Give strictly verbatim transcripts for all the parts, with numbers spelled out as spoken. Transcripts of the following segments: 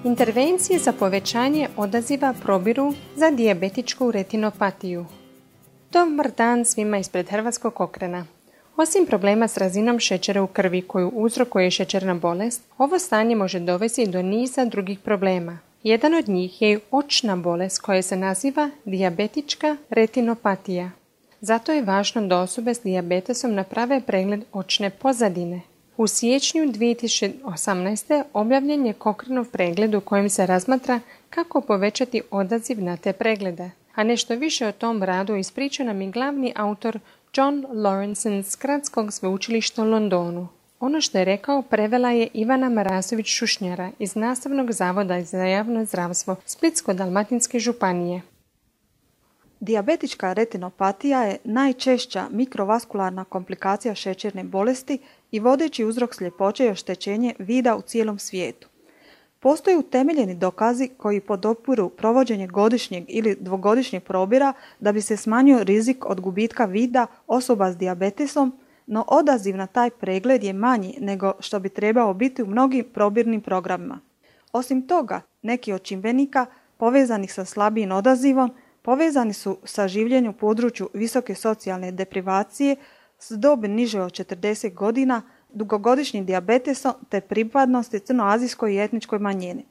Intervencije za povećanje odaziva probiru za dijabetičku retinopatiju. Dobar dan svima ispred Hrvatskog Kokrena. Osim problema s razinom šećera u krvi koju uzrokuje šećerna bolest, ovo stanje može dovesti do niza drugih problema. Jedan od njih je očna bolest koja se naziva dijabetička retinopatija. Zato je važno da osobe s dijabetesom naprave pregled očne pozadine. U siječnju dvije tisuće osamnaeste. objavljen je Cochranov pregled u kojem se razmatra kako povećati odaziv na te preglede. A nešto više o tom radu ispriča nam i glavni autor John Lawrenson s Gradskog sveučilišta u Londonu. Ono što je rekao prevela je Ivana Marasović-Šušnjara iz Nastavnog zavoda za javno zdravstvo Splitsko-dalmatinske županije. Dijabetička retinopatija je najčešća mikrovaskularna komplikacija šećerne bolesti i vodeći uzrok sljepoće i oštećenje vida u cijelom svijetu. Postoje utemeljeni dokazi koji podupiru provođenje godišnjeg ili dvogodišnjeg probira da bi se smanjio rizik od gubitka vida osoba s dijabetesom, no odaziv na taj pregled je manji nego što bi trebao biti u mnogim probirnim programima. Osim toga, neki od čimbenika povezanih sa slabijim odazivom povezani su sa življenjem u području visoke socijalne deprivacije s dobi niže od četrdeset godina, dugogodišnjim dijabetesom te pripadnosti crnoazijskoj i etničkoj manjini.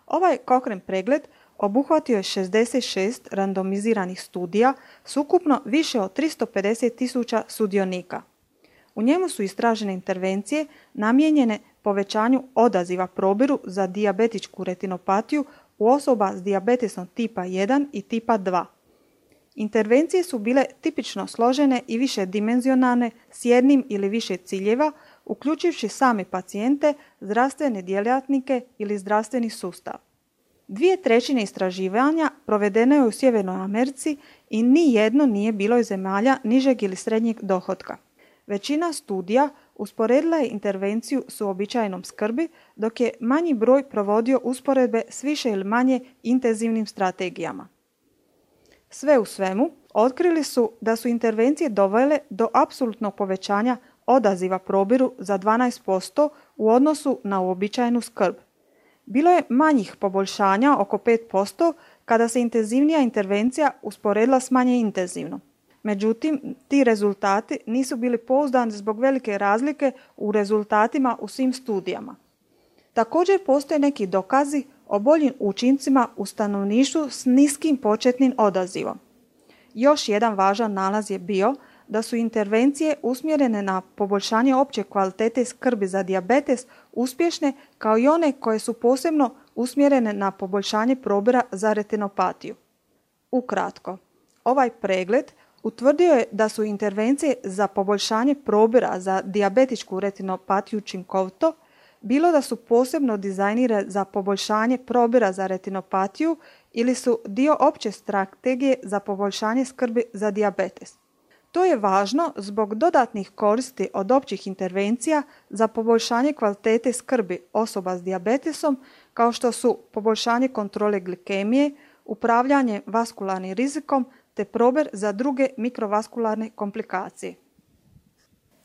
Ovaj Cochrane pregled obuhvatio je šezdeset šest randomiziranih studija s ukupno više od tristo pedeset tisuća sudionika. U njemu su istražene intervencije namijenjene povećanju odaziva probiru za dijabetičku retinopatiju u osoba s dijabetesom tipa jedan i tipa dva. Intervencije su bile tipično složene i višedimenzionalne s jednim ili više ciljeva, uključivši same pacijente, zdravstvene djelatnike ili zdravstveni sustav. Dvije trećine istraživanja provedeno je u Sjevernoj Americi i ni jedno nije bilo iz zemalja nižeg ili srednjeg dohotka. Većina studija usporedila je intervenciju s uobičajenom skrbi, dok je manji broj provodio usporedbe s više ili manje intenzivnim strategijama. Sve u svemu, otkrili su da su intervencije dovele do apsolutnog povećanja odaziva probiru za dvanaest posto u odnosu na uobičajenu skrb. Bilo je manjih poboljšanja oko pet posto kada se intenzivnija intervencija usporedila s manje intenzivnom. Međutim, ti rezultati nisu bili pouzdani zbog velike razlike u rezultatima u svim studijama. Također postoje neki dokazi o boljim učincima u stanovništvu s niskim početnim odazivom. Još jedan važan nalaz je bio da su intervencije usmjerene na poboljšanje opće kvalitete skrbi za dijabetes uspješne kao i one koje su posebno usmjerene na poboljšanje probira za retinopatiju. Ukratko, ovaj pregled utvrdio je da su intervencije za poboljšanje probira za dijabetičku retinopatiju učinkovito, bilo da su posebno dizajnirane za poboljšanje probira za retinopatiju ili su dio opće strategije za poboljšanje skrbi za dijabetes. To je važno zbog dodatnih koristi od općih intervencija za poboljšanje kvalitete skrbi osoba s dijabetesom, kao što su poboljšanje kontrole glikemije, upravljanje vaskularnim rizikom te probir za druge mikrovaskularne komplikacije.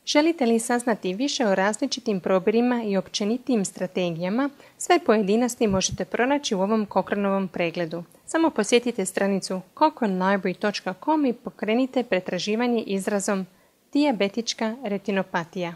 Želite li saznati više o različitim probirima i općenitijim strategijama? Sve pojedinosti možete pronaći u ovom Cochranovom pregledu. Samo posjetite stranicu cochrane library dot com i pokrenite pretraživanje izrazom dijabetička retinopatija.